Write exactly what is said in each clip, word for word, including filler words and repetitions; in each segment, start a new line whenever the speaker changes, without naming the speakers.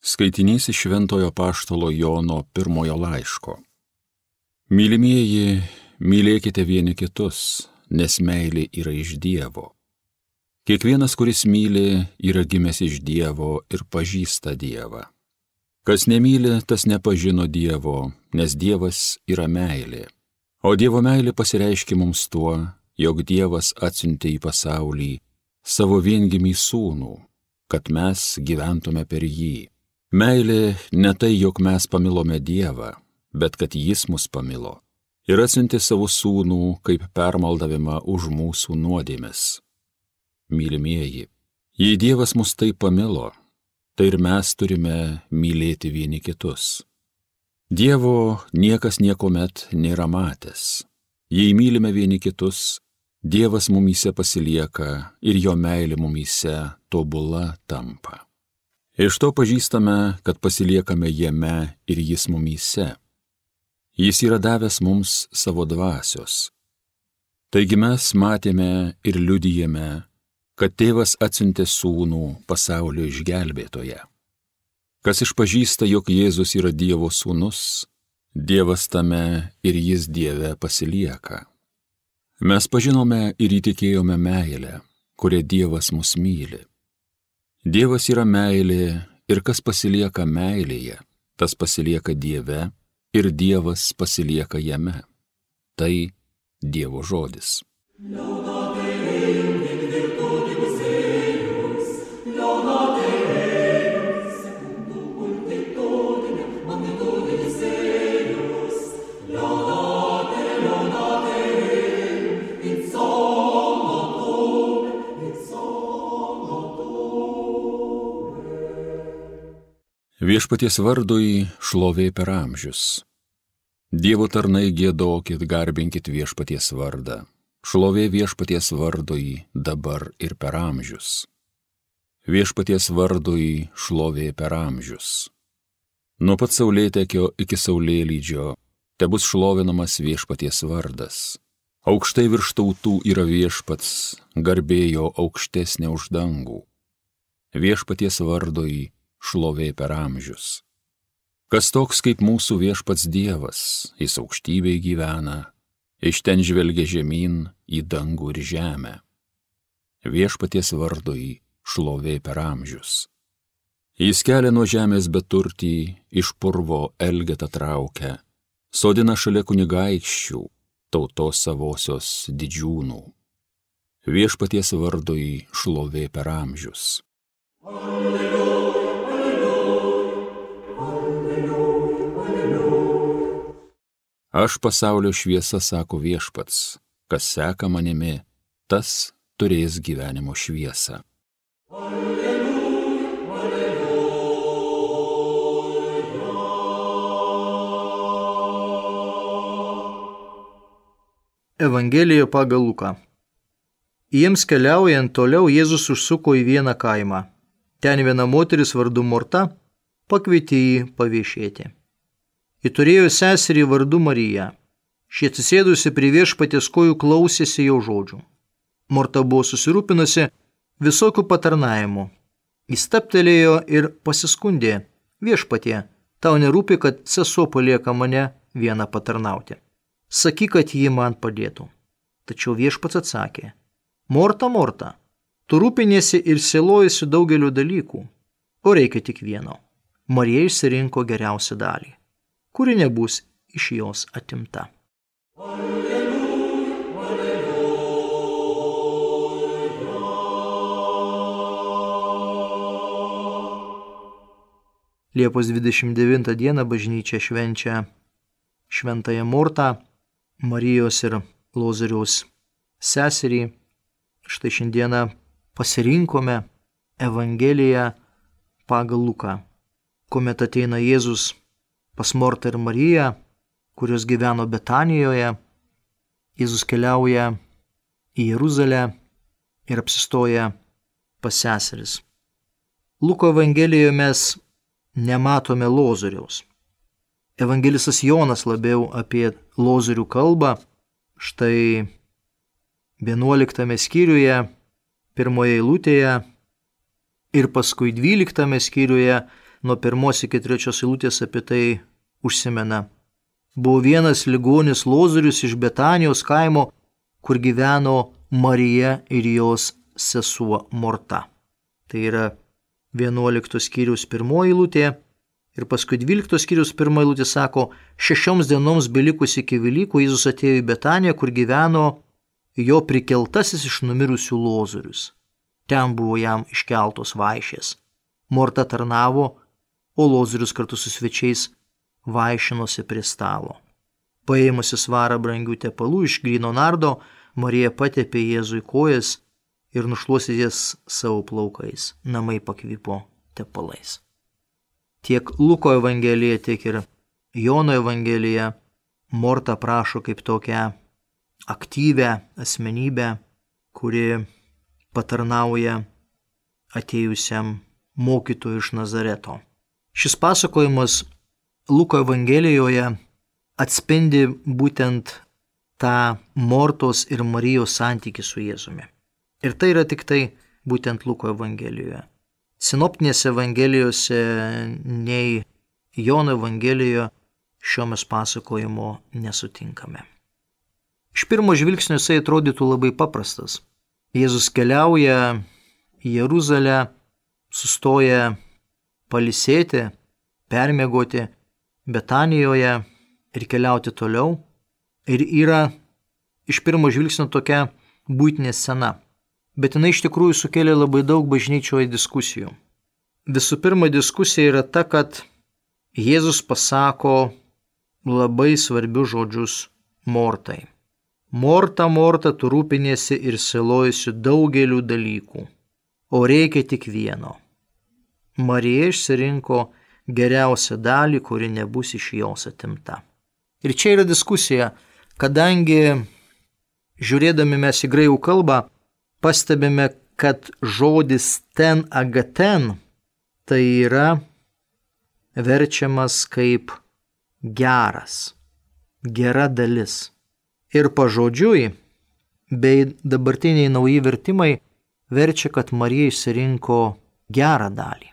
Skaitinys iš Šventojo Apaštalo Jono pirmojo laiško. Mylimieji, mylėkite vieni kitus, nes meilė yra iš Dievo. Kiekvienas, kuris myli, yra gimęs iš Dievo ir pažįsta Dievą. Kas nemyli, tas nepažino Dievo, nes Dievas yra meilė. O Dievo meilė pasireiškia mums tuo, jog Dievas atsiuntė į pasaulį savo viengimį sūnų, kad mes gyventume per jį. Meilė ne tai, jog mes pamilome Dievą, bet kad Jis mus pamilo ir atsiuntė savo sūnų kaip permaldavimą už mūsų nuodėmes. Mylimieji, jei Dievas mus taip pamilo, tai ir mes turime mylėti vieni kitus. Dievo niekas niekuomet nėra matęs. Jei mylime vieni kitus, Dievas mumyse pasilieka ir jo meilė mumyse tobula tampa. Iš to pažįstame, kad pasiliekame jame ir Jis mumyse. Jis yra davęs mums savo dvasios. Taigi mes matėme ir liudijame, kad Tėvas atsiuntė sūnų pasaulio išgelbėtoją. Kas išpažįsta, jog Jėzus yra Dievo sūnus, Dievas tame ir Jis Dieve pasilieka. Mes pažinome ir įtikėjome meilę, kuria Dievas mus myli. Dievas yra meilė ir kas pasilieka meilėje, tas pasilieka Dieve ir Dievas pasilieka jame. Tai Dievo žodis. Viešpaties vardui šlovė per amžius. Dievo tarnai giedokit, garbinkit viešpaties vardą. Šlovė viešpaties vardui dabar ir per amžius. Viešpaties vardui šlovė per amžius. Nuo pat saulėtekio iki saulėlydžio tebus šlovinamas viešpaties vardas. Aukštai virš tautų yra viešpats, garbėjo aukštesnė už dangų. Viešpaties vardui šlovė per amžius. Kas toks kaip mūsų viešpats Dievas, jis aukštybėj gyvena, iš ten žvelgia žemyn į dangų ir žemę. Viešpaties vardui šlovė per amžius. Jis kelia nuo žemės beturtį, iš purvo elgetą traukia, sodina šalia kunigaikščių, tautos savosios didžiūnų. Viešpaties vardui šlovė per amžius. Alleluja. Aš pasaulio šviesa, sako viešpats, kas seka manimi, tas turės gyvenimo šviesą. Alleluja, alleluja.
Evangelija pagal Luką. Jiems keliaujant toliau Jėzus užsuko į vieną kaimą. Ten viena moteris vardu Morta pakvietė jį paviešėti. Ji turėjo seserį vardu Mariją. Ši atsisėdusi prie viešpaties kojų klausėsi jo žodžių. Morta buvo susirūpinusi visokių patarnavimų. Jis stabtelėjo ir pasiskundė: viešpatie, tau nerūpi, kad sesuo palieka mane vieną patarnauti. Sakyk, kad ji man padėtų. Tačiau viešpats atsakė: Morta, Morta, tu rūpiniesi ir sielojasi daugeliu dalykų, o reikia tik vieno. Marija išsirinko geriausią dalį, kuri nebus iš jos atimta.
Alleluja, alleluja.
Liepos dvidešimt devintą dieną bažnyčia švenčia Šventąją Mortą, Marijos ir Lozoriaus seserį. Štai šiandieną pasirinkome Evangeliją pagal Luką, kuomet ateina Jėzus pas Mortą ir Mariją, kurios gyveno Betanijoje. Jėzus keliauja į Jeruzalę ir apsistoja pas seseris. Luko Evangelijoje mes nematome Lozoriaus. Evangelistas Jonas labiau apie Lozorių kalbą. Štai vienuoliktame skyriuje, pirmoje eilutėje ir paskui dvyliktame skyriuje nuo pirmos iki trečios eilutės apie tai užsimena. Buvo vienas ligonis Lozorius iš Betanijos kaimo, kur gyveno Marija ir jos sesuo Morta. Tai yra vienuoliktos skyriaus pirmoji eilutė ir paskui dvyliktos skyriaus pirmoji eilutė sako, šešioms dienoms belikus iki Velykų Jėzus atėjo į Betaniją, kur gyveno jo prikeltasis iš numirusių Lozorius. Ten buvo jam iškeltos vaišės. Morta tarnavo, o Lozorius kartu su svečiais vaišinosi prie stalo. Paėmusi svarą brangių tepalų iš gryno nardo, Marija patepė Jėzui kojas ir nušluostė jas savo plaukais. Namai pakvipo tepalais. Tiek Luko evangelija, tiek ir Jono evangelija Morta prašo kaip tokią aktyvę asmenybę, kuri patarnauja atėjusiam mokytojui iš Nazareto. Šis pasakojimas Luko evangelijoje atspindi būtent tą Mortos ir Marijos santykį su Jėzumi. Ir tai yra tik tai būtent Luko evangelijoje. Sinoptinėse evangelijose nei Jono evangelijoje šio mes pasakojimo nesutinkame. Iš pirmo žvilgsnio jisai atrodytų labai paprastas. Jėzus keliauja į Jeruzalę, sustoja pailsėti, permiegoti Betanijoje ir keliauti toliau. Ir yra iš pirmo žvilgsnio tokia buitinė scena. Bet jinai iš tikrųjų sukėlė labai daug bažnyčioje diskusijų. Visų pirma, diskusija yra ta, kad Jėzus pasako labai svarbius žodžius Mortai. Morta, Morta, tu rūpinėsi ir sielojasi daugeliu dalykų, o reikia tik vieno. Marija išsirinko geriausią dalį, kuri nebus iš jos atimta. Ir čia yra diskusija, kadangi žiūrėdami mes į graikų kalbą, pastebime, kad žodis ten agaten tai yra verčiamas kaip geras, gera dalis. Ir pažodžiui, bei dabartiniai nauji vertimai verčia, kad Marija išsirinko gerą dalį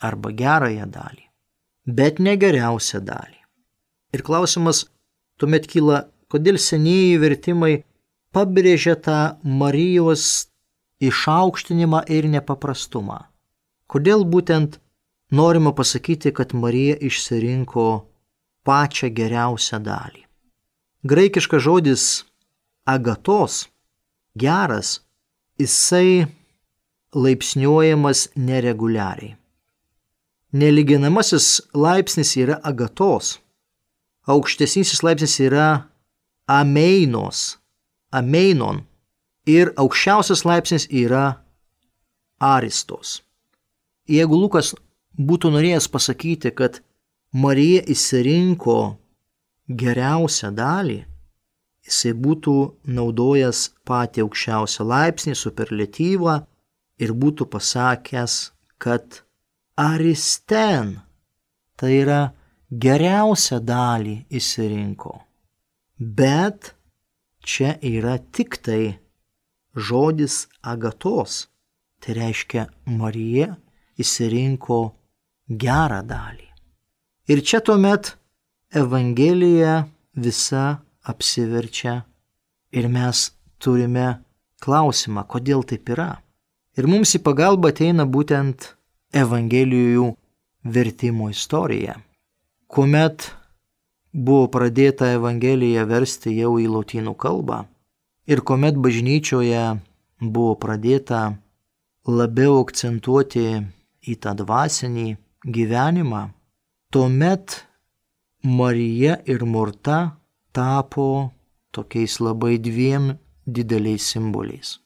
arba gerąją dalį, bet ne geriausią dalį. Ir klausimas tuomet kyla, kodėl senieji vertimai pabrėžia tą Marijos išaukštinimą ir nepaprastumą. Kodėl būtent norima pasakyti, kad Marija išsirinko pačią geriausią dalį. Graikiškas žodis agatos, geras, jisai laipsniuojamas nereguliariai. Nelyginamasis laipsnis yra agatos, aukštesnysis laipsnis yra ameinos, ameinon ir aukščiausias laipsnis yra aristos. Jeigu Lukas būtų norėjęs pasakyti, kad Marija išsirinko geriausią dalį, jisai būtų naudojęs patį aukščiausią laipsnį, superlatyvą ir būtų pasakęs, kad aristen, tai yra geriausią dalį išsirinko. Bet čia yra tik tai žodis agatos, tai reiškia Marija išsirinko gerą dalį. Ir čia tuomet Evangelija visa apsiverčia ir mes turime klausimą, kodėl taip yra. Ir mums į pagalbą ateina būtent Evangelijų vertimo istorija. Kuomet buvo pradėta Evangelija versti jau į lotynų kalbą ir kuomet bažnyčioje buvo pradėta labiau akcentuoti į tą dvasinį gyvenimą, tuomet Marija ir Morta tapo tokiais labai dviem dideliais simboliais.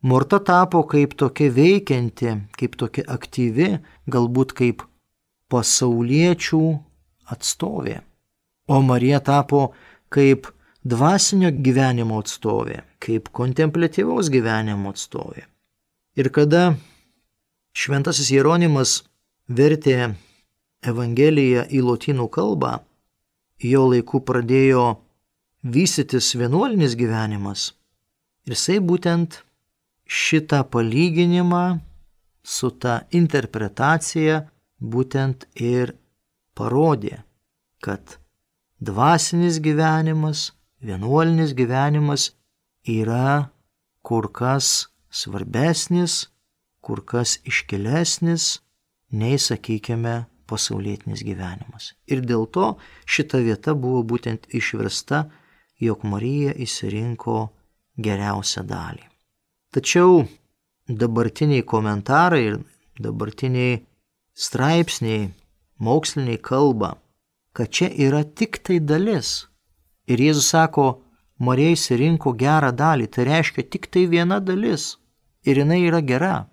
Morta tapo kaip tokia veikianti, kaip tokia aktyvi, galbūt kaip pasauliečių atstovė. O Marija tapo kaip dvasinio gyvenimo atstovė, kaip kontempliatyvaus gyvenimo atstovė. Ir kada šventasis Jeronimas vertė Evangeliją į lotynų kalbą, jo laiku pradėjo vystytis vienuolinis gyvenimas. Ir jisai būtent šitą palyginimą su ta interpretacija būtent ir parodė, kad dvasinis gyvenimas, vienuolinis gyvenimas yra kur kas svarbesnis, kur kas iškilesnis nei, sakykime, pasaulietinis gyvenimas. Ir dėl to šita vieta buvo būtent išversta, jog Marija išsirinko geriausią dalį. Tačiau dabartiniai komentarai ir dabartiniai straipsniai, moksliniai kalba, kad čia yra tik tai dalis. Ir Jėzus sako, Marija išsirinko gerą dalį, tai reiškia tik tai viena dalis. Ir jinai yra gera.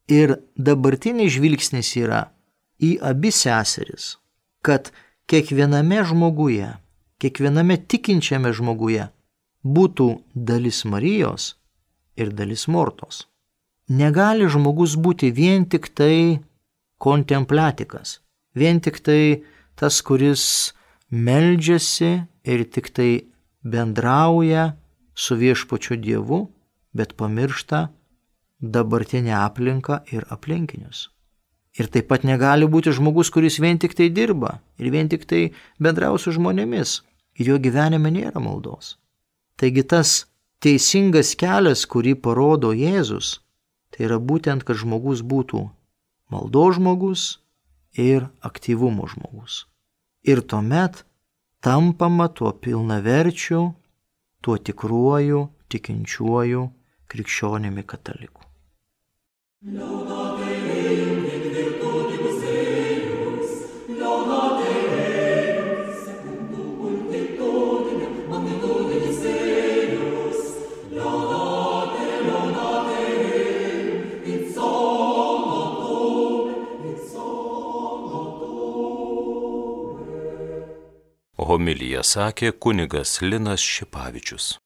Ir dabartinis žvilgsnis yra į abi seseris, kad kiekviename žmoguje, kiekviename tikinčiame žmoguje būtų dalis Marijos ir dalis Mortos. Negali žmogus būti vien tik tai kontemplatikas, vien tik tai tas, kuris meldžiasi ir tik tai bendrauja su viešpačiu Dievu, bet pamiršta dabartinę aplinką ir aplinkinius. Ir taip pat negali būti žmogus, kuris vien tik tai dirba ir vien tik tai bendrauja su žmonėmis ir jo gyvenime nėra maldos. Taigi tas teisingas kelias, kurį parodo Jėzus, tai yra būtent, kad žmogus būtų maldos žmogus ir aktyvumo žmogus. Ir tuomet tampama tuo pilnaverčiu, tuo tikruoju, tikinčiuoju krikščionimi kataliku.
Homiliją sakė kunigas Linas Šipavičius.